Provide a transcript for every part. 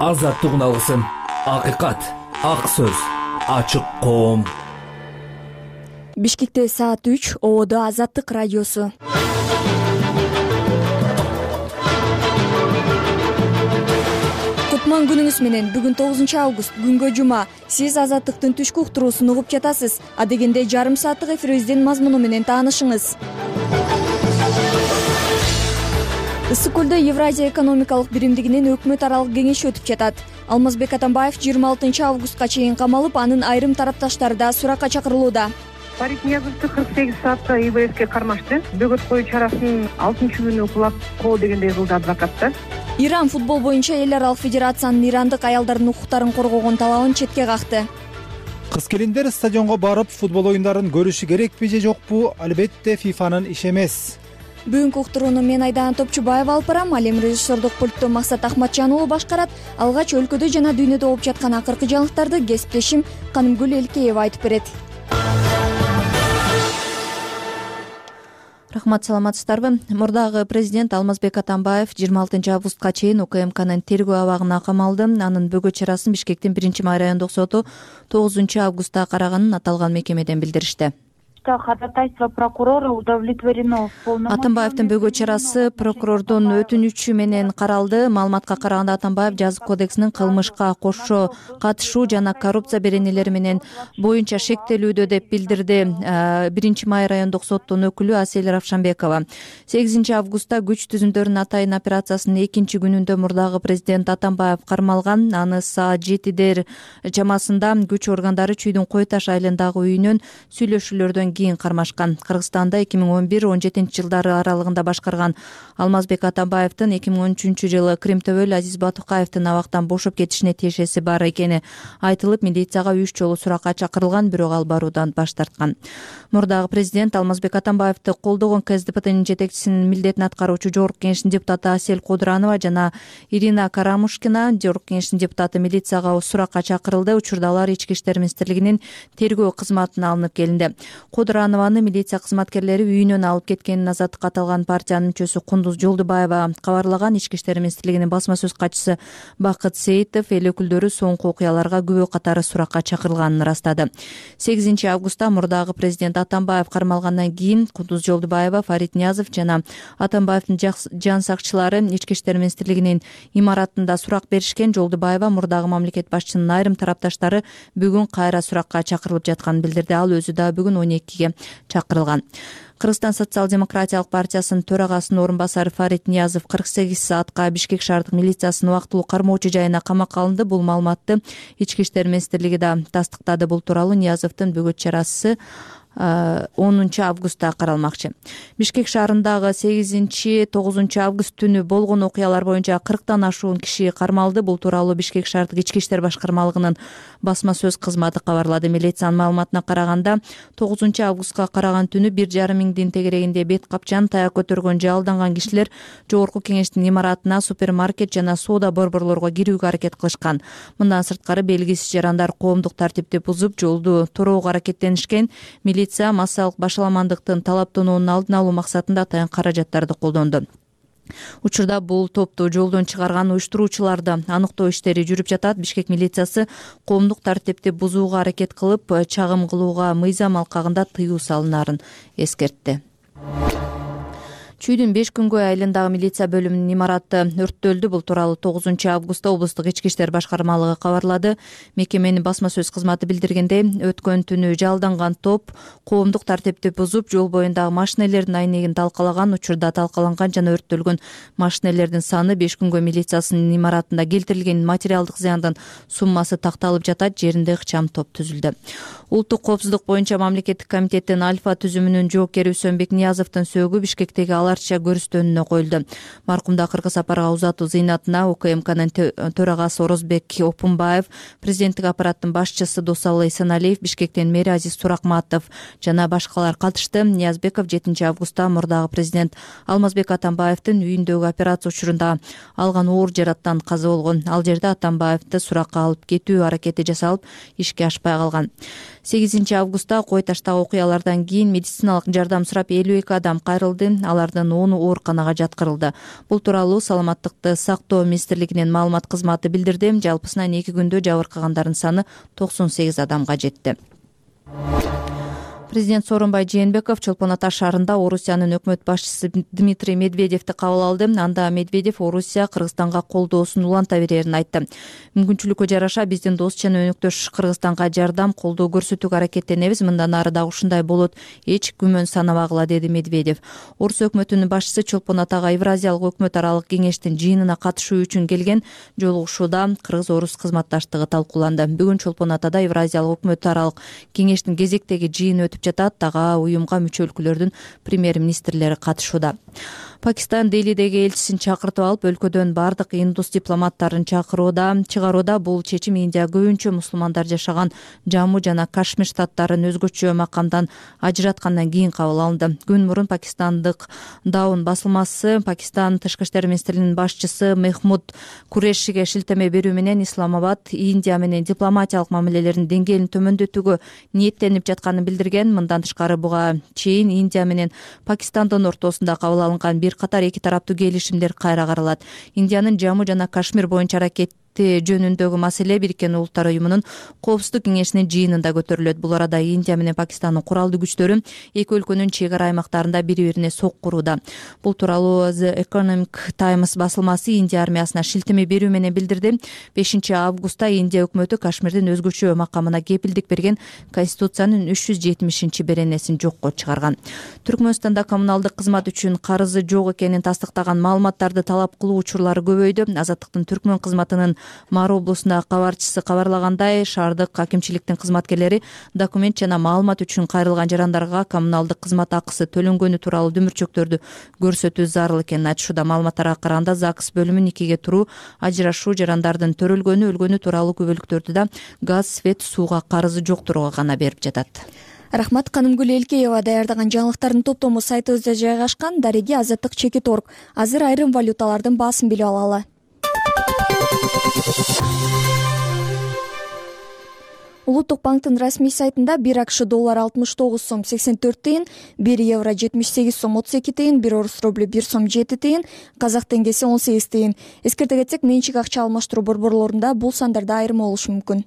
Азаттык алгысым, акыйкат, ак сөз, ачык коом. Бишкекте саат 3, ободо Азаттык радиосу. Кутман күнүңүз менен. Бүгүн 9 август, күнгө жума. Сиз Азаттыктын түшкү уктуруусун угуп жатасыз. Адегенде жарым сааттык эфирибиздин мазмуну менен таанышыңыз. Ысык көлдө Евразия экономикалык биримдигинин өкмөт аралык кеңеши өтүп жатат. Алмазбек Атамбаев 26 августка чейин камалып, анын айрым тарапташтары да суракка чакырылууда. Фарид Ниязовду 48 саатка ИБСке кармашты. Бөгөт коюу чарасын 6-күнү кулап коо дегендей кылды адвокаттар. Иран футбол боюнча эл аралык федерациянын ирандык аялдардын укуктарын коргогон талабын четке какты. Кыз-келиндер стадионго барып футбол оюндарын көрүшү керекпи же жокпу? Албетте ФИФАнын иши эмес. Бүгүнкү уктурууну мен Айдан Топчубаева алып барам. Ал эми режиссердук пультту Максат Ахматжан уулу башкарат. Алгач өлкөдө жана дүйнөдө болуп жаткан акыркы жаңылыктарды кесиптешим Канымгүл Элкеева айтып берет. Рахмат, саламатсыздарбы? Мурдагы президент Алмазбек Атамбаев 26 августка чейин УКМКнын тергөө абагына камалды. Анын бөгөт чарасын Бишкектин 1-май райондук соту 9 августта караганын аталган мекемеден билдиришти. Ходатайство прокурора удовлетворено. Атамбаевдин бөгөт чарасы прокурордун өтүнүчү менен каралды. Маалыматка караганда Атамбаев жазык кодексинин кылмышка кошо катышуу жана коррупция беренелери менен боюнча шектелүүдө деп билдирди 1-май райондук соттун өкүлү Асель Равшанбекова. 8 августта күч түзүмдөрүнүн атайын операциясынын 2-күнүндө мурдагы президент Атамбаев кармалган. Аны саат 7 чамасында күч органдары Чүйдүн Кой Таш айылындагы үйүнөн сүйлөшүүлөрдөн кийин кармашкан. Кыргызстанда 2011-17 жылдары аралыгында башкарган Алмазбек Атамбаевдин 2013 жылы Кримтөбөл Азиз Батукаевдин абактан бошоп кетишине тиешеси бар экени айтылып, милицияга 3 жолу суракка чакырылган, бирок ал баруудан баш тарткан. Мурдагы президент Алмазбек Атамбаевди колдогон КСДПнын жетекчисинин милдетин аткаруучу Жогорку Кеңештин депутаты Асель Кудранова жана Ирина Карамушкина, Жогорку Кеңештин депутаты, милицияга суракка чакырылды. Учурда алар Ички иштер министрлигинин тергөө кызматына алынып келинди. Кудранованы милиция кызматкерлери үйүнөн алып кеткенин Азаттыкка аталган партиянын мүчөсү Кундуз Жолдубаева кабарлаган. Ички иштер министрлигинин басма сөз катчысы Бакыт Сейитов эл өкүлдөрү соңку окуяларга күбө катары суракка чакырылганын ырастады. 8 августта мурдагы президент Атамбаев кармалгандан кийин Кундуз Жолдубаева, Фарид Ниязов жана Атамбаевдин жан сакчылары Ички иштер министрлигинин имаратында сурак беришкен. Жолдубаева мурдагы мамлекет башчынын айрым тарапташтары бүгүн кайра суракка чакырылып жатканын билдирди. Ал өзү да бүгүн 12-ге чакырылган. Кыргызстан социал-демократиялык партиясынын төрагасынын орун басары Фарид Ниязов 48 саатка Бишкек шаардык милициясынын убактылуу кармоочу жайына камакка алынды. Бул маалыматты Ички иштер министрлиги да тастыктады. Бул тууралуу Ниязовдун бөгөт чарасы 10 августта каралмакчы. Бишкек шаарындагы 8-9 август түнү болгон окуялар боюнча 40тан ашуун киши кармалды. Бул тууралуу Бишкек шаардык ички иштер башкармалыгынын басма сөз кызматы кабарлады. Милициянын маалыматына караганда 9 августка караган түнү 1,5 миңдин тегерегинде бет капчан, таяк көтөргөн же алданган кишилер Жогорку Кеңештин имаратына, супермаркет жана соода борборлорго кирүүгө аракет кылышкан. Мындан сырткары белгисиз жарандар коомдук тартипти бузуп, жолду тороого аракеттенишкен. Милиция массалык башаламандыктын талаптануунун алдын алуу максатында атайын каражаттарды колдонду. Учурда бул топту жолдон чыгарган уюштуруучуларды аныктоо иштери жүрүп жатат. Бишкек милициясы коомдук тартипти бузууга аракет кылып, чагым кылууга мыйзам алкагында тыюу салынаарын эскертти. Чүйдүн 5 күнгөй айылындагы милиция бөлүмүнүн имараты өрттөлдү. Бул тууралуу 9 августта облустук ички иштер башкармалыгы кабарлады. Мекеменин басма сөз кызматы билдиргендей, өткөн түнү жалданган топ коомдук тартипти бузуп, жол боюндагы машинелердин айнегин талкалаган. Учурда талкаланган жана өрттөлгөн машинелердин саны 5 күнгөй милициясынын имаратында келтирилген материалдык зыяндын суммасы такталып жатат. Жеринде ыкчам топ түзүлдү. Улуттук коопсуздук боюнча мамлекеттик комитеттин Альфа түзүмүнүн жоокери Үсөнбек Ниязовдун сөөгү Бишкектеги аларча көрүстөнүнө коюлду. Маркумду акыркы сапарга узатуу зыйнатына УКМКнын төрагасы Орозбек Опунбаев, президенттик аппараттын башчысы Досалы Эсеналиев, Бишкектен мэри Азиз Суракматов жана башкалар катышты. Ниязбеков 7 августта мурдагы президент Алмазбек Атамбаевдин үйүндөгү операция учурунда алган оор жараттан каза болгон. Ал жерде Атамбаевди суракка алып кетүү аракети жасалып, ишке ашпай калган. 8 августта кой таштагы окуялардан кийин медициналык жардам сурап 52 адам кайрылды, алардын 10 ооруканага жаткырылды. Бул тууралуу Саламаттыкты сактоо министрлигинин маалымат кызматы билдирди. Жалпысынан 2 күндө жабыркагандардын саны 98 адамга жетти. Президент Сооронбай Жээнбеков Чолпон Ата шаарында Орусиянын өкмөт башчысы Дмитрий Медведевди кабыл алды. Анда Медведев Орусия Кыргызстанга колдоосун уланта берерин айтты. Мүмкүнчүлүккө жараша биздин дос жана өнөктөш Кыргызстанга жардам, колдоо көрсөтүүгө аракеттенебиз. Мындан ары да ушундай болот. Эч күмөн санабагыла, деди Медведев. Орус өкмөтүнүн башчысы Чолпон Атага Евразиялык өкмөт аралык кеңештин жыйынына катышуу үчүн келген. Жолугушууда Кыргыз-Орус кызматташтыгы талкууланды. Бүгүн Чолпон Атада Евразиялык өкмөт аралык кеңештин кезектеги жыйыны өтүп жатат. Дагы уюмга мүчө өлкөлөрдүн премьер-министрлери катышууда. Пакистан Делидеги элчисин чакыртып алып, өлкөдөн бардык индус дипломаттарын чыгарууда. Бул чечим Индия көбүнчө мусулмандар жашаган Жамму жана Кашмир штаттарын өзгөчө макамдан ажыраткандан кийин кабыл алынды. Күн мурун пакистандык Даун басылмасы Пакистан Тышкы иштер министринин башчысы Мехмуд Курешиге шилтеме берүү менен Исламабад Индия менен дипломатиялык мамилелердин деңгээлин төмөндөтүүгө ниеттенип жатканын билдирген. Мындан тышкары буга чейин Индия менен Пакистандын ортосунда кабыл алынган бир катар эки тараптуу келишимдер кайра каралат. Индиянын Жамму жана Кашмир боюнча аракет жөнүндөгү маселе Бириккен Улуттар уюмунун коопсуздук кеңешинин жыйынында көтөрүлөт. Бул арада Индия менен Пакистандын куралдуу күчтөрү эки өлкөнүн чек ара аймактарында бири-бирине соккурууда. Бул тууралуу The Economic Times басылмасы Индия армиясына шилтеме берүү менен билдирди. 5 августта Индия өкмөтү Кашмирдин өзгөчө макамына кепилдик берген Конституциянын 370-беренесин жокко чыгарган. Түркмөнстанда коммуналдык кызмат үчүн карызы жок экенин тастыктаган маалыматтарды талап кылуу учурлары көбөйдү. Азаттыктын Түркмөн кызматынын Мары облусундагы кабарчысы кабарлагандай, шаардык акимчиликтин кызматкерлери документ жана маалымат үчүн кайрылган жарандарга коммуналдык кызмат акысы төлөнгөнү тууралуу дүмүрчөктөрдү көрсөтүү зарыл экенин айтышууда. Маалыматтарга караганда ЗАГС бөлүмүн никеге туруу, ажырашуу, жарандардын төрөлгөнү, өлгөнү тууралуу күбөлүктөрдү да газ, свет, сууга карызы жоктурууга гана берип жатат. Рахмат. Канымгүл Элкеева даярдаган жаңылыктардын топтому сайтыбызда жайгашкан. Дареги Азаттык чекит орг. Азыр айрым валюталардын баасын билип алалы. Улуттук банктын расмий сайтында 1 АКШ доллар 69 сом 84 тыйын, 1 евро 78 сом 32 тыйын, 1 орус рубль 1 сом 7 тыйын, казак теңгеси 18 тыйын. Эскерте кетсек, менчик акча алмаштыруу борборлорунда бул сандарда айырым болушу мүмкүн.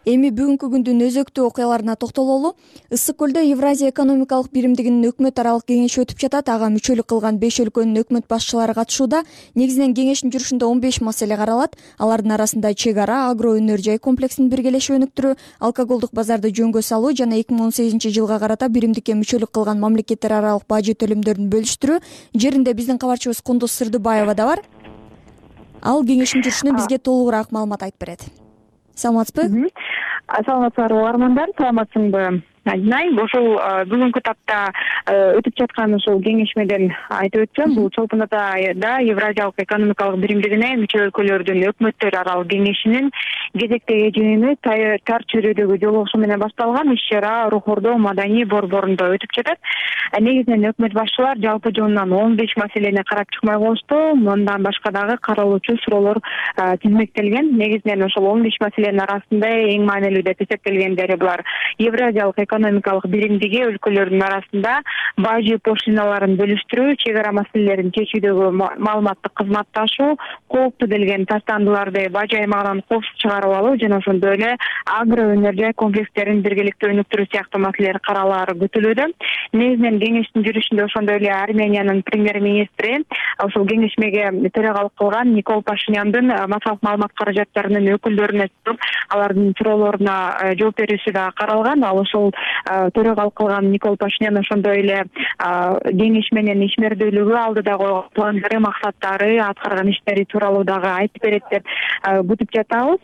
Эми бүгүнкү күндүн өзөктүү окуяларына токтололу. Ысык көлдө Евразия экономикалык биримдигинин өкмөт аралык кеңеши өтүп жатат. Ага мүчөлүк кылган 5 өлкөнүн өкмөт башчылары катышууда. Негизинен кеңештин жүрүшүндө 15 маселе каралат. Алардын арасында чек ара, агро өнөр жай комплексин биргелешип өнүктүрүү, алкоголдук базарды жөнгө салуу жана 2018 жылга карата биримдикке мүчөлүк кылган мамлекеттер аралык бажы төлөмдөрүн бөлүштүрүү. Жеринде биздин кабарчыбыз Кундуз Сырдыбаева да бар. Ал кеңештин жүрүшүнөн бизге толугураак маалымат айтып берет. Саламатсызбы? Саламатсыздарбы армандар, саламатсыңбы? Ошол бүгүнкү тапта өтүп жаткан ушул кеңешмеден айтып өтсөм, бул Чолпон Атада Евразиялык экономикалык биримдигине мүчө өлкөлөрдүн өкмөттөр аралык кеңешинин кезектеги жыйыны тар чөйрөдөгү жолугушуу менен башталган. Иш-чара Рухордо маданий борборунда өтүп жатат. Негизинен өкмөт башчылар жалпы жонунан 15 маселени карап чыкмай коюшту. Мындан башка дагы каралуучу суроолор тизмектелген. Негизинен ошол 15 маселенин арасында эң маанилүү деп эсептелгендери булар: Евразиялык экономикалык биримдиги өлкөлөрдүн арасында бажы пошлиналарын бөлүштүрүү, чек ара маселелерин чечүүдөгү маалыматтык кызматташуу, кооптуу делген таштандыларды бажы аймагынан коопсуз чыгарып алуу жана ошондой эле агро өнөр жай комплекстерин биргеликте өнүктүрүү сыяктуу маселелер каралаары күтүлүүдө. Негизинен кеңештин жүрүшүндө ошондой эле Армениянын премьер-министри ошол кеңешмеге төрагалык кылган Никол Пашиняндын массалык маалымат каражаттарынын өкүлдөрүнө чыгып, алардын суроолоруна жооп берүүсү да каралган. Ал ошол төрагалык кылган Никол Пашинян ошондой эле кеңешменин ишмердүүлүгү, алдыда койгон пландары, максаттары, аткарган иштери тууралуу дагы айтып берет деп күтүп жатабыз.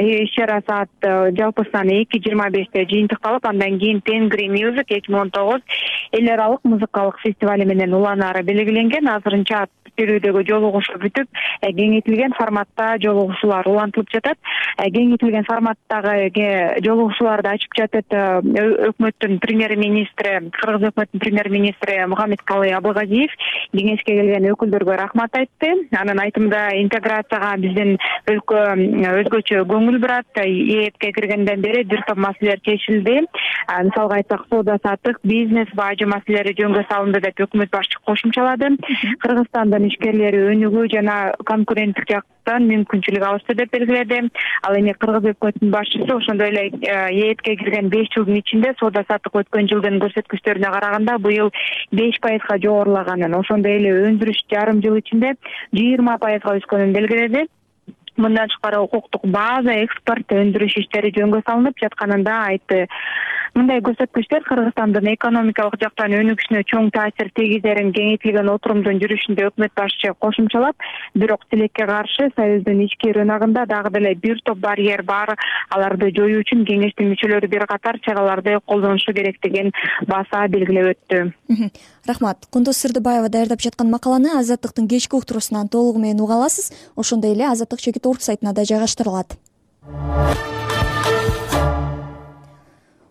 Иш-чара саат жалпысынан 2:25 жыйынтыкталып, андан кийин Тенгри Music 2019 эл аралык музыкалык фестивали менен уланаары белгиленген. Азырынча берүүдөгү жолугушуу бүтүп кеңейтилген форматта жолугушуулар улантылып жатат. Кеңейтилген форматтагы жолугушууларды ачып жатат өкмөттүн премьер-министри, Кыргыз өкмөтүнүн премьер-министри Мухаммедкалый Абылгазиев кеңешке келген өкүлдөргө рахмат айтты. Анын айтымында интеграцияга биздин өлкө өзгөчө көңүл бурат. ЕЭПке киргенден бери бир топ маселелер чечилди. Мисалга айтсак, соода саттык, бизнес, бажы маселелери жөнгө салынды деп өкмөт башчысы кошумчалады. Кыргызстандын ишкерлери өнүгүү жана конкуренттик жактан мүмкүнчүлүк алышты деп белгиледи. Ал эми Кыргыз өкмөтүнүн башчысы ошондой эле ЕЭПке кирген 5 жылдын ичинде соода саттык өткөн жылдын көрсөткүчтөрүнө караганда быйыл 5% жогорулаганын, ошондой эле өндүрүш жарым жыл ичинде 20% өскөнүн белгиледи. Мындан тышкары укуктук база, экспорт, өндүрүш иштери жөнгө салынып жатканын да айтты. Мындай көрсөткүчтөр Кыргызстандын экономикалык жактан өнүгүшүнө чоң таасир тийгизерин кеңейтилген отурумдун жүрүшүндө өкмөт башчысы кошумчалап, бирок тилекке каршы Союздун ички рыногунда дагы деле бир топ барьер бар. Аларды жоюу үчүн кеңештин мүчөлөрү бир катар чараларды колдонушу керектигин баса белгилеп өттү. Рахмат. Кундуз Сырдыбаева даярдап жаткан макаланы Азаттыктын кечки уктуруусунан толугу менен уга аласыз. Ошондой эле Азаттык Чекит орг сайтына да жайгаштырылат.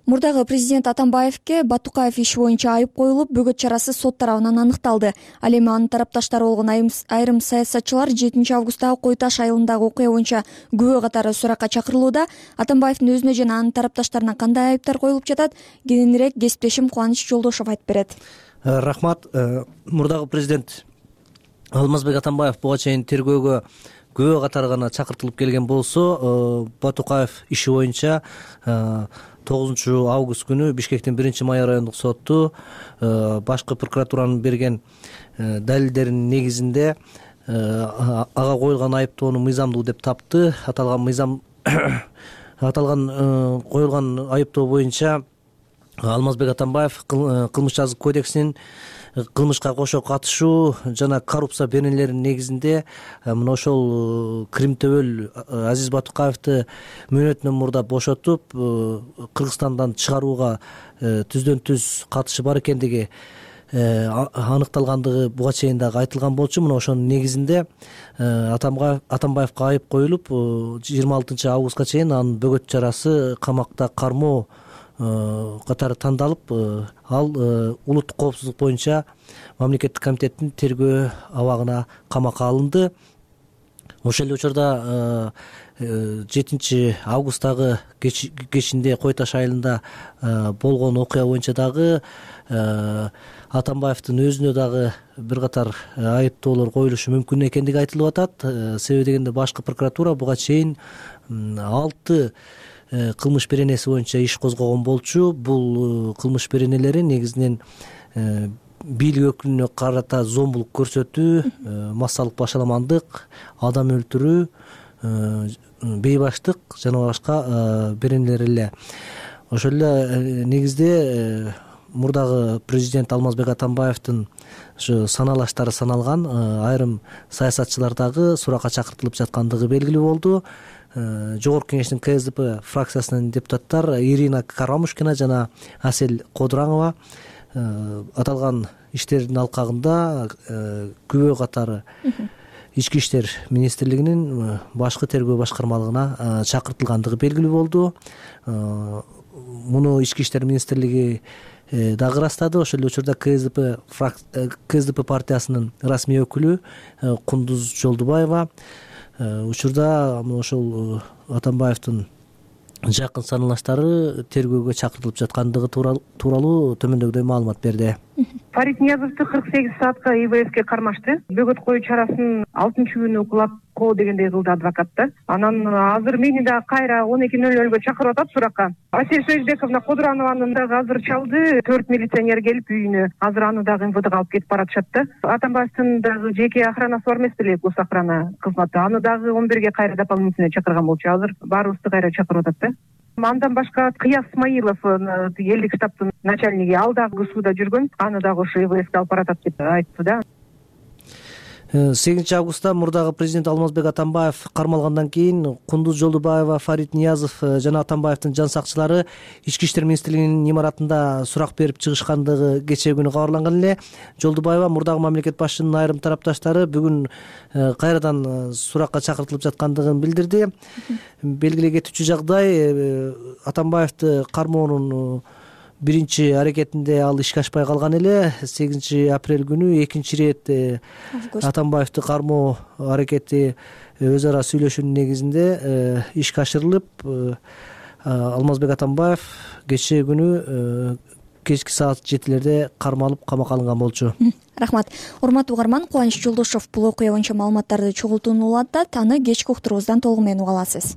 Мурдагы президент Атамбаевке Батукаев иши боюнча айып коюлуп, бөгөт чарасы сот тарабынан аныкталды. Ал эми анын тарапташтары болгон айрым саясатчылар 7 августтагы Кой Таш айылындагы окуя боюнча күбө катары суракка чакырылууда. Атамбаевдин өзүнө жана анын тарапташтарына кандай айыптар коюлуп жатат? Кененирээк кесиптешим Кубаныч Жолдошов айтып берет. Рахмат. Мурдагы президент Алмазбек Атамбаев буга чейин тергөөгө күбө катары гана чакыртылып келген болсо, Батукаев иши боюнча 9 август күнү Бишкектин 1-май райондук соту башкы прокуратуранын берген далилдеринин негизинде ага коюлган айыптоону мыйзамдуу деп тапты. Аталган коюлган айыптоо боюнча Алмазбек Атамбаев кылмыш жазык кодексинин кылмышка кошо катышуу жана коррупция беренелеринин негизинде мына ошол кримтөбөл Азиз Батукаевди мөөнөтүнөн мурда бошотуп, Кыргызстандан чыгарууга түздөн түз катышы бар экендиги аныкталгандыгы буга чейин дагы айтылган болчу. Мына ошонун негизинде Атамбаевге айып коюлуп, 26 августка чейин анын бөгөт чарасы камакта кармоо катары тандалып, ал улуттук коопсуздук боюнча мамлекеттик комитеттин тергөө абагына камакка алынды. Ошол эле учурда 7 августтагы кечинде Кой Таш айылында болгон окуя боюнча дагы Атамбаевдин өзүнө дагы бир катар айыптоолор коюлушу мүмкүн экендиги айтылып атат. Себеби дегенде башкы прокуратура буга чейин 6 кылмыш беренеси боюнча иш козгогон болчу. Бул кылмыш беренелери негизинен бийлик өкүлүнө карата зомбулук көрсөтүү, массалык башаламандык, адам өлтүрүү, бейбаштык жана башка беренелер эле. Ошол эле негизде мурдагы президент Алмазбек Атамбаевдин ушу саналаштары саналган айрым саясатчылар дагы суракка чакыртылып жаткандыгы белгилүү болду. Жогорку кеңештин КСДП фракциясынын депутаттар Ирина Карамушкина жана Асель Кодуранова аталган иштердин алкагында күбө катары Ички иштер министрлигинин башкы тергөө башкармалыгына чакыртылгандыгы белгилүү болду. Муну Ички иштер министрлиги дагы ырастады. Ошол эле учурда КСДП партиясынын расмий өкүлү Кундуз Жолдубаева учурда ошол Атамбаевдин жакын саналаштары тергөөгө чакыртылып жаткандыгы тууралуу төмөндөгүдөй маалымат берди. Фарид Ниязовду 48 саатка ИВСке кармашты. Бөгөт коюу чарасын 6-күнү укулап коо дегендей кылды адвокат да. Анан азыр мени да кайра 12:00 чакырып атат суракка. Асель Союзбековна Кодуранованы дагы азыр чалды. 4 милиционер келип үйүнө. Азыр аны дагы МВДга алып кетип баратышат да. Атамбаевдин дагы жеке охранасы бар эмес беле, гос охрана кызматы. Аны дагы 11-ге кайра дополнительно чакырган болчу. Азыр баарыбызды кайра чакырып атат да. Андан башка Кыяз Исмаилов, элдик штабтын начальниги, ал дагы сууда жүргөн. Аны дагы ошо ИВСке алып баратат деп айтты да. 8 августта мурдагы президент Алмазбек Атамбаев кармалгандан кийин Кундуз Жолдубаева, Фарид Ниязов жана Атамбаевдин жан сакчылары Ички иштер министрлигинин имаратында сурак берип чыгышкандыгы кечээ күнү кабарланган эле. Жолдубаева мурдагы мамлекет башчынын айрым тарапташтары бүгүн кайрадан суракка чакыртылып жаткандыгын билдирди. Белгилей кетүүчү жагдай, Атамбаевди кармоонун биринчи аракетинде ал ишке ашпай калган эле. 8 апрель күнү экинчи ирет Атамбаевди кармоо аракети өз ара сүйлөшүүнүн негизинде ишке ашырылып, Алмазбек Атамбаев кечээ күнү кечки саат 7-лерде кармалып камакка алынган болчу. Рахмат. Урматтуу угарман, Кубаныч Жолдошов бул окуя боюнча маалыматтарды чогултууну улантат. Аны кечки уктуруубуздан толугу менен уга аласыз.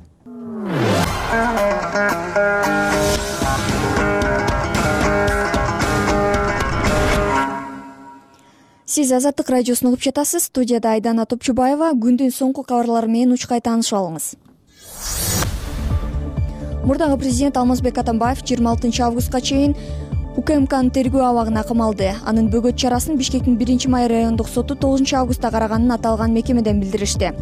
Сиз Азаттык радиосун угуп жатасыз. Студияда Айдана Топчубаева. Күндүн соңку кабарлары менен учкай таанышып алыңыз. Мурдагы президент Алмазбек Атамбаев 26 августка чейин УКМКнын тергөө абагына камалды. Анын бөгөт чарасын Бишкектин 1-май райондук соту 9 августта караганын аталган мекемеден билдиришти.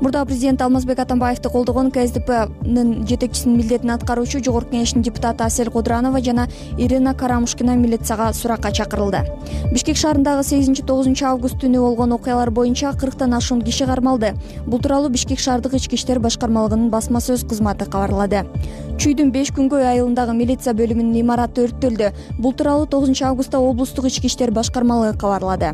Мурдагы президент Алмазбек Атамбаевди колдогон КСДПнын жетекчисинин милдетин аткаруучу Жогорку Кеңештин депутаты Асель Кудранова жана Ирина Карамушкина милицияга суракка чакырылды. Бишкек шаарындагы 8-9 август түнү болгон окуялар боюнча 40тан ашуун киши кармалды. Бул тууралуу Бишкек шаардык ички иштер башкармалыгынын басма сөз кызматы кабарлады. Чүйдүн 5 күнгөй айылындагы милиция бөлүмүнүн имараты өрттөлдү. Бул тууралуу 9 августта облустук ички иштер башкармалыгы кабарлады.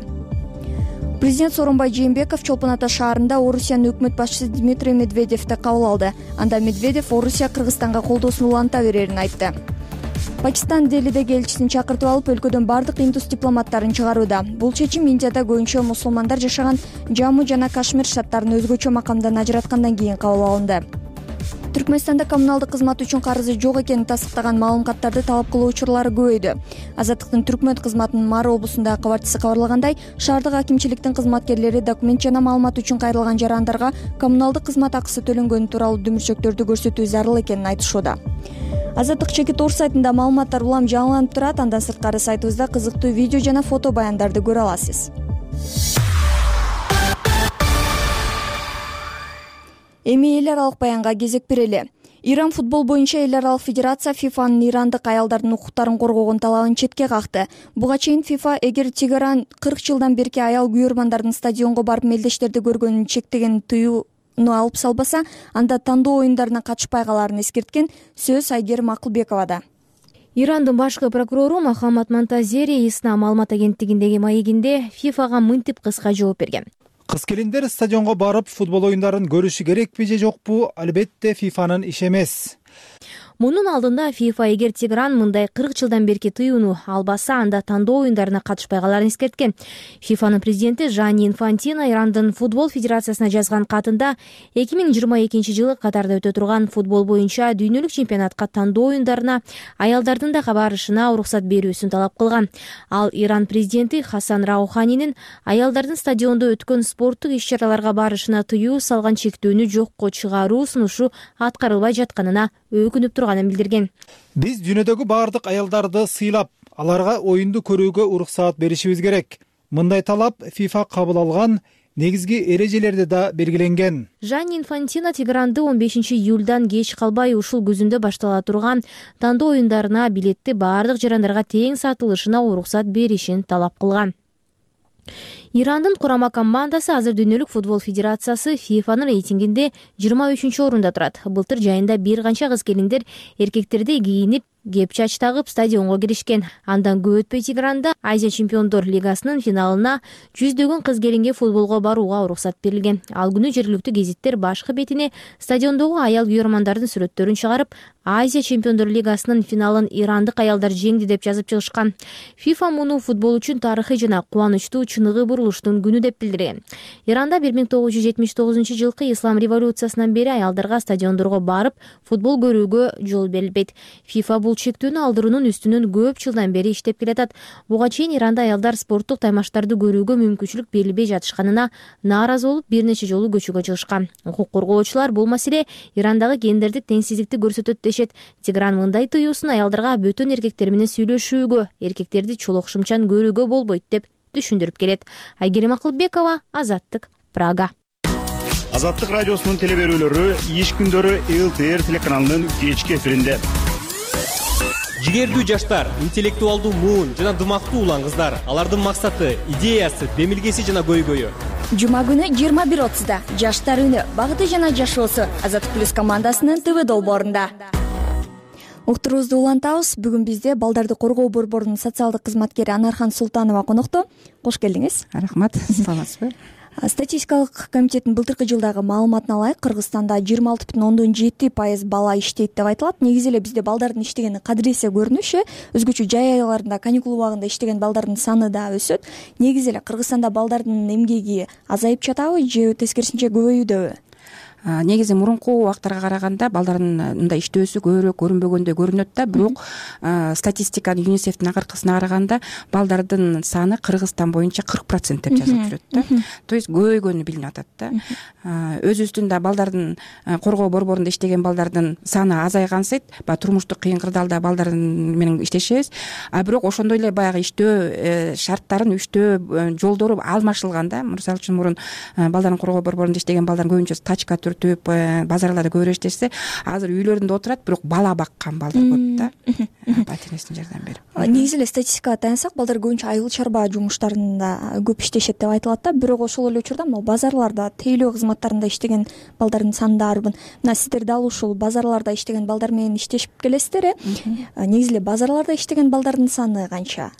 Президент Сооронбай Жээнбеков Чолпон Ата шаарында Орусиянын өкмөт башчысы Дмитрий Медведевди кабыл алды. Анда Медведев Орусия Кыргызстанга колдоосун уланта берерин айтты. Пакистан Делидеги элчисин чакыртып алып, өлкөдөн бардык индус дипломаттарын чыгарууда. Бул чечим Индияда көбүнчө мусулмандар жашаган Жамму жана Кашмир штаттарын өзгөчө макамдан ажыраткандан кийин кабыл алынды. Түркмөнстанда коммуналдык кызмат үчүн карызы жок экенин тастыктаган маалымкаттарды талап кылуу учурлары көбөйдү. Азаттыктын Түркмөн кызматынын Мары облусундагы кабарчысы кабарлагандай, шаардык акимчиликтин кызматкерлери документ жана маалымат үчүн кайрылган жарандарга коммуналдык кызмат акысы төлөнгөнү тууралуу дүмүрчөктөрдү көрсөтүү зарыл экенин айтышууда. Азаттык Чеки Тор сайтында маалыматтар улам жаңыланып турат. Андан сырткары сайтыбызда кызыктуу видео жана фото баяндарды көрө аласыз. Эми эл аралык баянга кезек берели. Иран футбол боюнча эл аралык федерация ФИФАнын ирандык аялдардын укуктарын коргогон талабын четке какты. Буга чейин ФИФА эгер Тегеран 40 жылдан берки аял күйөрмандардын стадионго барып мелдештерди көргөнүн чектеген тыюуну алып салбаса, анда тандоо оюндарына катышпай калаарын эскерткен. Сөз Айгерим Акылбековада. Ирандын башкы прокурору Мохаммад Монтазери Исна маалымат агенттигиндеги маегинде ФИФАга мынтип кыска жооп берген. Кыз-келиндер стадионго барып футбол оюндарын көрүшү керекпи же жокпу? Албетте ФИФАнын иши эмес. Мунун алдында ФИФА эгер Тегеран мындай 40 жылдан берки тыюуну албаса, анда тандоо оюндарына катышпай калаарын эскерткен. ФИФАнын президенти Жанни Инфантино Ирандын футбол федерациясына жазган катында 2022 жылы Катарда өтө турган футбол боюнча дүйнөлүк чемпионатка тандоо оюндарына аялдардын да барышына уруксат берүүсүн талап кылган. Ал Иран президенти Хасан Рауханинин аялдардын стадиондо өткөн спорттук иш-чараларга барышына тыюу салган чектүүнү жокко чыгаруу сунушу аткарылбай жатканына өкүнүп турганын билдирген. Биз дүйнөдөгү бардык аялдарды сыйлап, аларга оюнду көрүүгө уруксаат беришибиз керек. Мындай талап ФИФА кабыл алган негизги эрежелерде да белгиленген. Жанни Инфантино Тегеранды 15 июлдан кеч калбай ушул күзүндө баштала турган тандоо оюндарына билетти бардык жарандарга тең сатылышына уруксат беришин талап кылган. Ирандын курама командасы азыр дүйнөлүк футбол федерациясы ФИФАнын рейтингинде 23-орунда турат. Былтыр жайында бир канча кыз-келиндер эркектердей кийинип, кепчач тагып стадионго киришкен. Андан көп өтпөй Тегеранда Азия чемпиондор лигасынын финалына 100дөгөн кыз-келинге футболго барууга уруксат берилген. Ал күнү жергиликтүү гезиттер башкы бетине стадиондогу аял күйөрмандардын сүрөттөрүн чыгарып, Азия чемпиондор лигасынын финалын ирандык аялдар жеңди деп жазып чыгышкан. ФИФА муну футбол үчүн тарыхый жана кубанычтуу чыныгы бурулуштун күнү деп билдирген. Иранда 1979-жылкы ислам революциясынан бери аялдарга стадиондорго барып футбол көрүүгө жол берилбейт. ФИФА бул чектүүнү алдыруунун үстүнөн көп жылдан бери иштеп келатат. Буга чейин Иранда аялдар спорттук таймаштарды көрүүгө мүмкүнчүлүк берилбей жатышканына нааразы болуп бир нече жолу көчөгө чыгышкан. Укук коргоочулар бул маселе Ирандагы гендердик теңсиздикти көрсөтөт дешет. Тегеран мындай тыюусын аялдарга бөтөн эркектер менен сүйлөшүүгө, эркектерди чолок шымчан көрүүгө болбойт деп түшүндүрүп келет. Айгерим Акылбекова, Азаттык, Прага. Азаттык радиосунун теле берүүлөрү иш күндөрү ЛТР телеканалынын кечки эфиринде. Жигердүү жаштар, интеллектуалдуу муун жана дымактуу улан кыздар. Алардын максаты, идеясы, демилгеси жана көйгөйү. Жума күнү 21:30 Жаштар үнү, багыты жана жашоосу Азаттык плюс командасынын ТВ долбоорунда. Уктуруубузду улантабыз. Бүгүн бизде Балдарды коргоо борборунун социалдык кызматкери Анархан Султанова конокто. Кош келдиңиз. Рахмат. Саламатсызбы? Статистикалык комитеттин былтыркы жылдагы маалыматына ылайык Кыргызстанда 26,7% бала иштейт деп айтылат. Негизи эле бизде балдардын иштегени кадыресе көрүнүш, өзгөчө жай айларында, каникул убагында иштеген балдардын саны да өсөт. Негизи эле Кыргызстанда балдардын эмгеги азайып жатабы же тескерисинче көбөйүүдөбү? Негизи мурунку убактарга караганда балдардын мындай иштөөсү көбүрөөк көрүнбөгөндөй көрүнөт да, бирок статистиканы ЮНИСЕФтин акыркысына караганда балдардын саны Кыргызстан боюнча 40% деп жазылып жүрөт да. То есть көбөйгөнү билинип атат да. Өзүбүздүн да балдардын коргоо борборунда иштеген балдардын саны азайган сайт, баягы турмуштук кыйын кырдаалда балдар менен иштешебиз. Бирок ошондой эле баягы иштөө шарттарын, иштөө жолдору алмашылган да. Мисалы үчүн мурун балдардын коргоо борборунда иштеген балдар көбүнчө тачка базарларда көбүрөөк иштешсе, азыр үйлөрүндө отурат, бирок бала баккан балдар көп да. Ата энесине жардам берип. Негизи эле статистикага таянсак, балдар көбүнчө айыл чарба жумуштарында көп иштешет деп айтылат да. Бирок ошол эле учурда базарларда, тейлөө кызматтарында иштеген балдардын саны да арбын. Мына сиздер дал ушул базарларда иштеген балдар менен иштешип келесиздер. Негизи эле базарларда иштеген балдардын саны канча?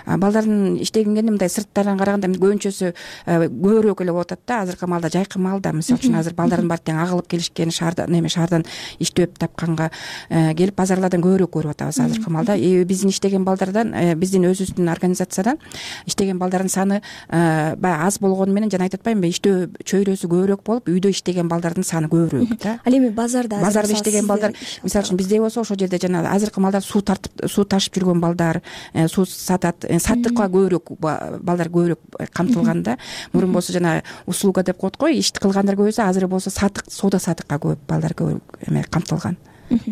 Балдардын иштегенге мындай сырттардан караганда көбүнчөсү көбүрөөк эле болуп атат да. Азыркы маалда, жайкы маалда, мисалы үчүн азыр балдардын баары тең агылып келишкен, шаардан иштеп тапканга келип базарлардан көбүрөөк көрүп атабыз азыркы маалда. Биздин иштеген балдардан, биздин өзүбүздүн организациядан иштеген балдардын саны баягы аз болгону менен жана айтып атпаймынбы, иштөө чөйрөсү көбүрөөк болуп, үйдө иштеген балдардын саны көбүрөөк да. Ал эми базарда иштеген балдар, мисалы үчүн бизде болсо ошол жерде жана азыркы маалда суу ташып жүргөн балдар, суу сатат, саттыкка көбүрөөк балдар көбүрөөк камтылган да. Мурун болсо жана услуга деп коет го, иш кылгандар көбөйсө, азыр болсо соода сатыкка көп балдар көбүрөөк камтылган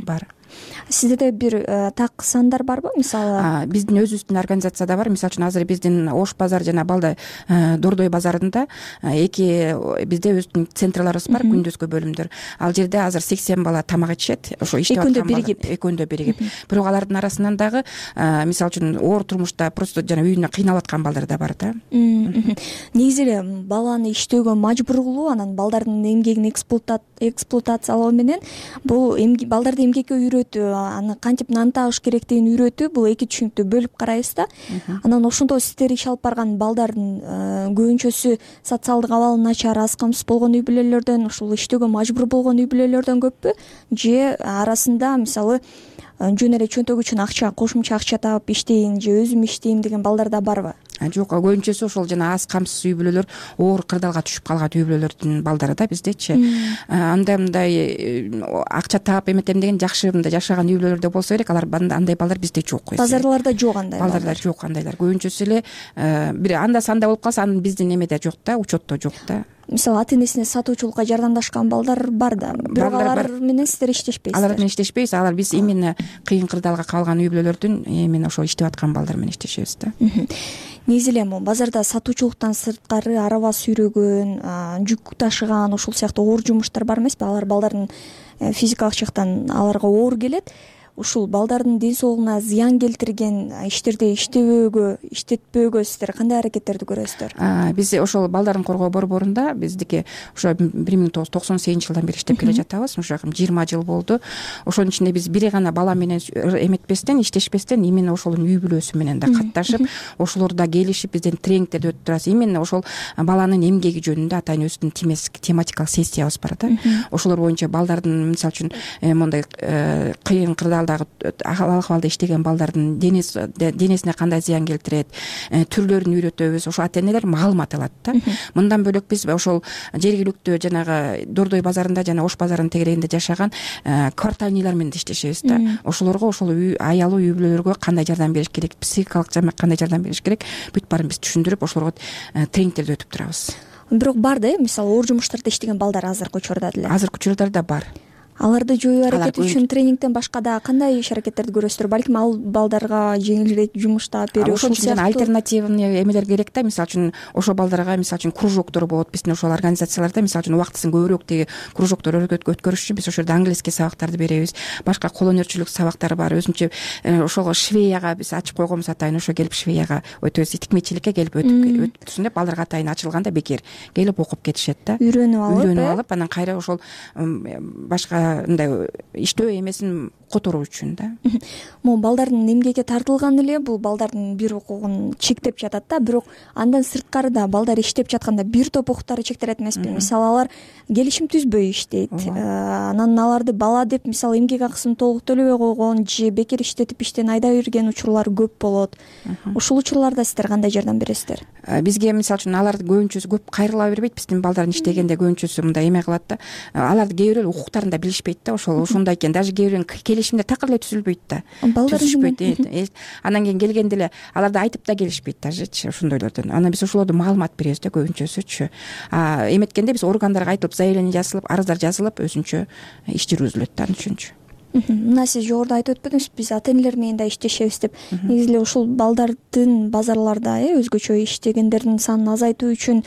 бар. Сиздерде бир так сандар барбы? Мисалы, биздин өзүбүздүн организацияда бар. Мисалы үчүн азыр биздин Ош базар жана Дордой базарында бизде өзүбүздүн центрларыбыз бар, күндүзгү бөлүмдөр. Ал жерде азыр 80 бала тамак ичишет. Ошо иштеп аткан экөөндө биригип. Бирок алардын арасынан дагы мисалы үчүн оор турмушта просто жана үйүнө кыйналып аткан балдар да бар да. Негизи эле баланы иштөөгө мажбур кылуу, анан балдардын эмгегин эксплуатациялоо менен бул балдарды эмгекке үйрөтүү, аны кантип нан табыш керектигин үйрөтүү, бул эки түшүнүктү бөлүп карайбыз да. Анан ошондо сиздер иш алып барган балдардын көбүнчөсү социалдык абалы начар, аз камсыз болгон үй бүлөлөрдөн, ушул иштөөгө мажбур болгон үй бүлөлөрдөн көппү же арасында мисалы жөн эле чөнтөгү үчүн акча, кошумча акча таап иштейин же өзүм иштейм деген балдар да барбы? Жок, көбүнчөсү ошол жана аз камсыз үй бүлөлөр, оор кырдаалга түшүп калган үй бүлөлөрдүн балдары да биздечи. Мындай акча таап эметем деген жакшы мындай жашаган үй бүлөлөрдө болсо керек, андай балдар бизде жок. Базарларда жок андай балдар жок андайлар. Көбүнчөсү эле бир анда санда болуп калса, анын биздин эмеде жок да, учетто жок да. Мисалы ата энесине сатуучулукка жардамдашкан балдар бар да, бирок алар менен сиздер иштешпейсиздер. Алар менен иштешпейбиз. Алар биз именно кыйын кырдаалга калган үй бүлөлөрдүн именно ошол иштеп аткан балдар менен иштешебиз да. Негизи эле базарда сатуучулуктан сырткары араба сүйрөгөн, жүк ташыган, ушул сыяктуу оор жумуштар бар эмеспи? Алар балдардын физикалык жактан аларга оор келет. Ушул балдардын ден соолугуна зыян келтирген иштерди иштетпөөгө сиздер кандай аракеттерди көрөсүздөр? Биз ошол балдардын коргоо борборунда биздики ошо 1998 жылдан бери иштеп келе жатабыз. Ошо 20 жыл болду. Ошонун ичинде биз бири гана бала менен эметпестен, иштешпестен именно ошолун үй бүлөсү менен да катташып, ошолор да келишип бизден тренингтерди өтүп турабыз. Именно ошол баланын эмгеги жөнүндө ата энебиздин тематикалык сессиябыз бар да. Ошолор боюнча балдардын мисалы үчүн мондай кыйын кырдаал акыбалда иштеген балдардын денесине кандай зыян келтирет, түрлөрүн үйрөтөбүз. Ошо ата энелер маалымат алат да. Мындан бөлөк биз ошол жергиликтүү жанагы Дордой базарында жана Ош базарынын тегерегинде жашаган квартальныйлар менен иштешебиз да. Ошолорго ошол аялуу үй бүлөлөргө кандай жардам бериш керек, психикалык кандай жардам бериш керек, бүт баарын биз түшүндүрүп, ошолорго тренингтерди өтүп турабыз. Бирок бар да, мисалы оор жумуштарда иштеген балдар азыркы учурда деле. Азыркы учурда да бар. аларды жоюу аракети үчүн тренингден башка дагы кандай иш аракеттерди көрөсүздөр? Балким ал балдарга жеңилирээк жумуш таап берүү, ошон үчүн жана альтернативный эмелер керек да. Мисалы үчүн ошо балдарга мисалы үчүн кружоктор болот биздин ошол организацияларда. Мисалы үчүн убактысын көбүрөөк тиги кружоктор өткөрүш үчүн биз ошол жерде английский сабактарды беребиз, башка кол өнөрчүлүк сабактары бар. Өзүнчө ошого швеяга биз ачып койгонбуз атайын. Ошо келип швеяга өтөбүз, тикмечиликке келип өтсүн деп балдарга атайын ачылганда бекер келип окуп кетишет да. Үйрөнүп алып анан кайра ошол башка мындай иштөө эмесин которуу үчүн да. Могу балдардын эмгекке тартылганы эле бул балдардын бир укугун чектеп жатат да. Бирок андан сырткары да балдар иштеп жатканда бир топ укуктары чектелет эмеспи? Мисалы алар келишим түзбөй иштейт, анан аларды бала деп мисалы эмгек акысын толук төлөбөй койгон же бекер иштетип иштен айдап жиберген учурлар көп болот. Ушул учурларда сиздер кандай жардам бересиздер? Бизге мисалы үчүн аларды көбүнчөсү көп кайрыла бербейт. Биздин балдардын иштегенде көбүнчөсү мындай эме кылат да. Аларды кээ бирөө укуктарын да билишпейт да. Ошондой экен. Даже кээ бирөөнүн келишимде такыр эле түзүлбөйт да. Түзүшпөйт. Анан кийин келгенде эле аларды айтып да келишпейт дажечи ошондойлордон. Анан биз ошолордон маалымат беребиз да көбүнчөсүчү. Эметкенде биз органдарга айтылып, заявление жазылып, арыздар жазылып, өзүнчө иш жүргүзүлөт да анын үчүнчү. Мына сиз жогоруда айтып өтпөдүңүз, биз ата энелер менен да иштешебиз деп. Негизи эле ушул балдардын базарларда өзгөчө иштегендердин санын азайтуу үчүн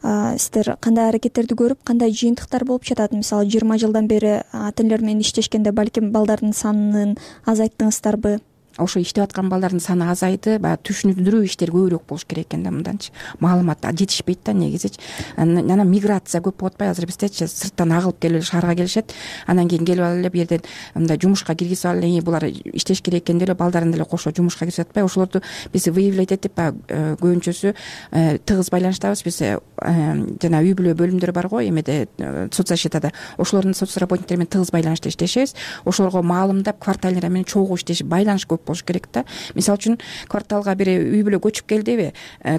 сиздер кандай аракеттерди көрүп, кандай жыйынтыктар болуп жатат? Мисалы 20 жылдан бери ата энелер менен иштешкенде балким балдардын санын азайттыңыздарбы? Ошо иштеп аткан балдардын саны азайды, баягы түшүндүрүү иштери көбүрөөк болуш керек экен да. Мынданчы маалымат жетишпейт да негизичи. Анан миграция көп болуп атпайбы? Азыр биздечи сырттан агылып келип шаарга келишет. Анан кийин келип алып эле бу жерден мындай жумушка киргизип алып эле булар иштеш керек экен деп эле балдарын деле кошо жумушка киргизип атпайбы? Ошолорду биз выявлять этип баягы көбүнчөсү тыгыз байланыштабыз. Биз жана үй бүлө бөлүмдөр бар го эмеде соцзащитада. Ошолордун соц работниктери менен тыгыз байланышта иштешебиз. Ошолорго маалымдап кварталдер менен чогуу иштешип байланыш көп болуш керек да. Мисалы үчүн кварталга бир үй бүлө көчүп келдиби,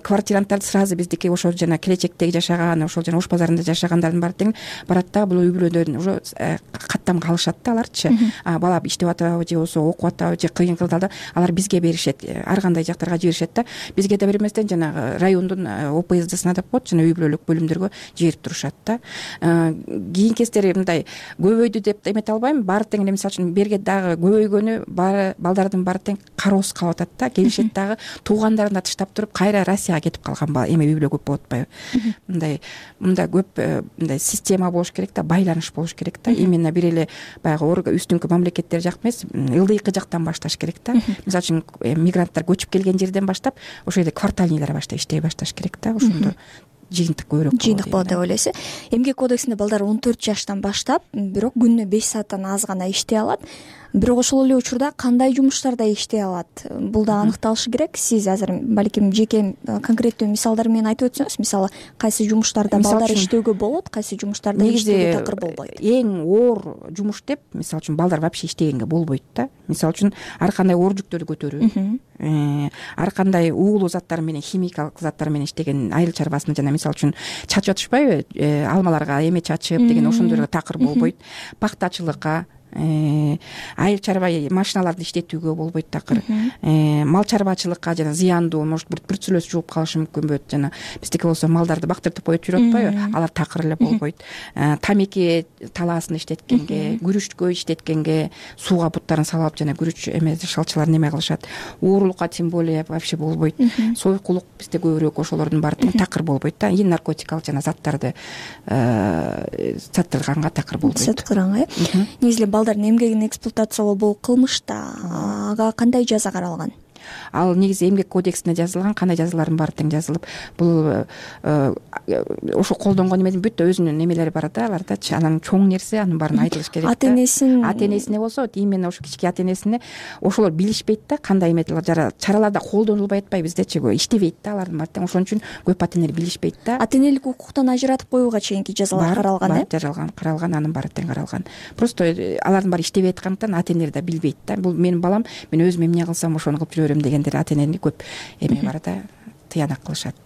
квартиранттар сразу биздики ошо жана келечектеги жашаган, ошол жана Ош базарында жашагандардын баары тең барат да. Бул үй бүлөдөн уже каттамга алышат да аларчы. Бала иштеп атабы же болбосо окуп атабы же кыйын кылдалда алар бизге беришет, ар кандай жактарга жиберишет да. Бизге да берместен жанагы райондун ОПСДсына деп коет, жана үй бүлөлүк бөлүмдөргө жиберип турушат да. Кийин кездери мындай көбөйдү деп эмете албайм. Баары тең эле мисалы үчүн берге дагы көбөйгөнү балдардын баары тең кароосуз калып атат да. Келишет дагы туугандарын да тыштап туруп кайра Россияга кетип калган эме үй бүлө көп болуп атпайбы? Мындай көп мындай система болуш керек да, байланыш болуш керек да. Именно бир эле баягы үстүңкү мамлекеттер жак эмес, ылдыйкы жактан башташ керек да. Мисалы үчүн мигранттар көчүп келген жерден баштап ошол жерде квартальныйлар баштап иштей башташ керек да. Ошондо жыйынтык көбүрөөк болот деп ойлойсуз. Эмгек кодексинде балдар 14 жаштан баштап, бирок күнүнө 5 сааттан аз гана иштей алат. Бирок ошол эле учурда кандай жумуштарда иштей алат? Бул да аныкталышы керек. Сиз азыр балким жеке конкреттүү мисалдар менен айтып өтсөңүз, мисалы кайсы жумуштарда балдар иштөөгө болот, кайсы жумуштарда иштөөгө такыр болбойт? Эң оор жумуш деп, мисалы үчүн балдар вообще иштегенге болбойт да. Мисалы үчүн ар кандай оор жүктөрдү көтөрүү, ар кандай уулуу заттар менен, химикалык заттар менен иштеген айыл чарбасында жана мисалы үчүн чачып атышпайбы, алмаларга эме чачып деген ошондойго такыр болбойт. Пахтачылыкка, айыл чарба машиналарды иштетүүгө болбойт такыр. Мал чарбачылыкка жана зыяндуу, может бруцеллез жугуп калышы мүмкүн болот. Жана биздики болсо малдарды бактыртып коюп жүрүп атпайбы? Алар такыр эле болбойт. Тамеки талаасын иштеткенге, күрүчкө иштеткенге, сууга буттарын салып жана күрүч эме шалчыларын эме кылышат. Уурулукка тем более вообще болбойт. Сойкулук бизде көбүрөөк ошолордун баары такыр болбойт да. И наркотикалык жана заттарды саттырганга такыр болбойт. Саттырганга, негизи балдардын эмгегин эксплуатациялоо бул кылмыш да. Ага кандай жаза каралган? Ал негизи эмгек кодексине жазылган, кандай жазалардын баары тең жазылып, бул ошо колдонгон эмедин бүт өзүнүн эмелери бар да, алардачы. Анан чоң нерсе, анын баарын айтылыш керек да. Ата энесине болсо, именно ошо кички ата энесине ошолор билишпейт да, кандай эметилер чараларда колдонулбай атпайбы биздечи, иштебейт да алардын баары тең. Ошон үчүн көп ата энелер билишпейт да. Ата энелик укуктан ажыратып коюуга чейинки жазалар каралган, каралган, анын баары тең каралган. Просто алардын баары иштебей аткандыктан ата энелер да билбейт да. Бул менин балам, мен өзүм эмне кылсам ошону кылып жүрөм дегендер ата энени көп эме бар да. тыянак кылышат.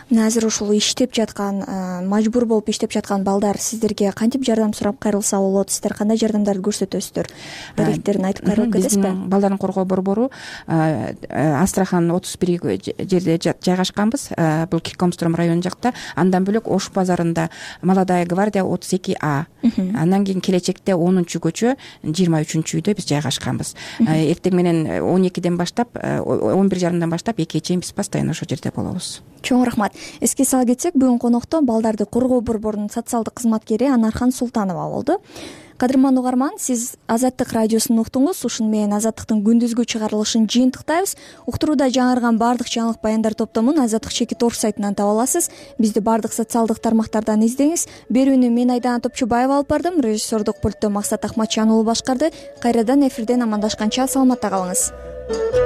мына азыр ушул иштеп жаткан, мажбур болуп иштеп жаткан балдар сиздерге кантип жардам сурап кайрылса болот? Сиздер кандай жардамдарды көрсөтөсүздөр? Даректерин айтып кайрылып кетесизби? Биздин балдарын коргоо борбору Астрахан 31 жерде жайгашканбыз. Бул Киркомстром району жакта. Андан бөлөк Ош базарында Молодая гвардия 32А. Андан кийин келечекте 10-көчө 23 үйдө биз жайгашканбыз. Эртең менен 12ден баштап 11:30 баштап 2-ге чейин биз постоянно ошол жерде болобуз. Чоң рахмат. Эске сала кетсек, бүгүн конокто балдарды коргоо борборунун социалдык кызматкери Анархан Султанова болду. Кадырман угарман, сиз Азаттык радиосун уктуңуз. Ушуну менен Азаттыктын күндүзгү чыгарылышын жыйынтыктайбыз. Уктурууда жаңырган баардык жаңылык баяндар топтомун Азаттык чекит орг сайтынан таба аласыз. Бизди баардык социалдык тармактардан издеңиз. Берүүнү мен Айдана Топчубаева алып бардым. Режиссердук пультту Максат Ахматжан уулу башкарды. Кайрадан эфирден амандашканча саламатта калыңыз.